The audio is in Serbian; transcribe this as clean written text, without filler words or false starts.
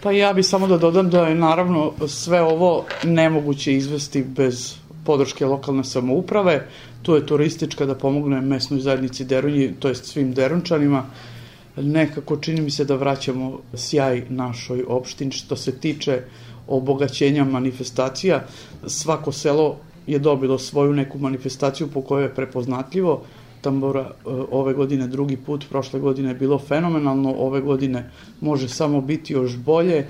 Pa ja bi samo da dodam da je naravno sve ovo nemoguće izvesti bez podrške lokalne samouprave. Tu je turistička da pomogne mesnoj zajednici Derunji, to jest svim Derunčanima. Nekako čini mi se da vraćamo sjaj našoj opštini što se tiče obogaćenja manifestacija. Svako selo je dobilo svoju neku manifestaciju po kojoj je prepoznatljivo. Tambora ove godine drugi put, prošle godine je bilo fenomenalno, ove godine može samo biti još bolje.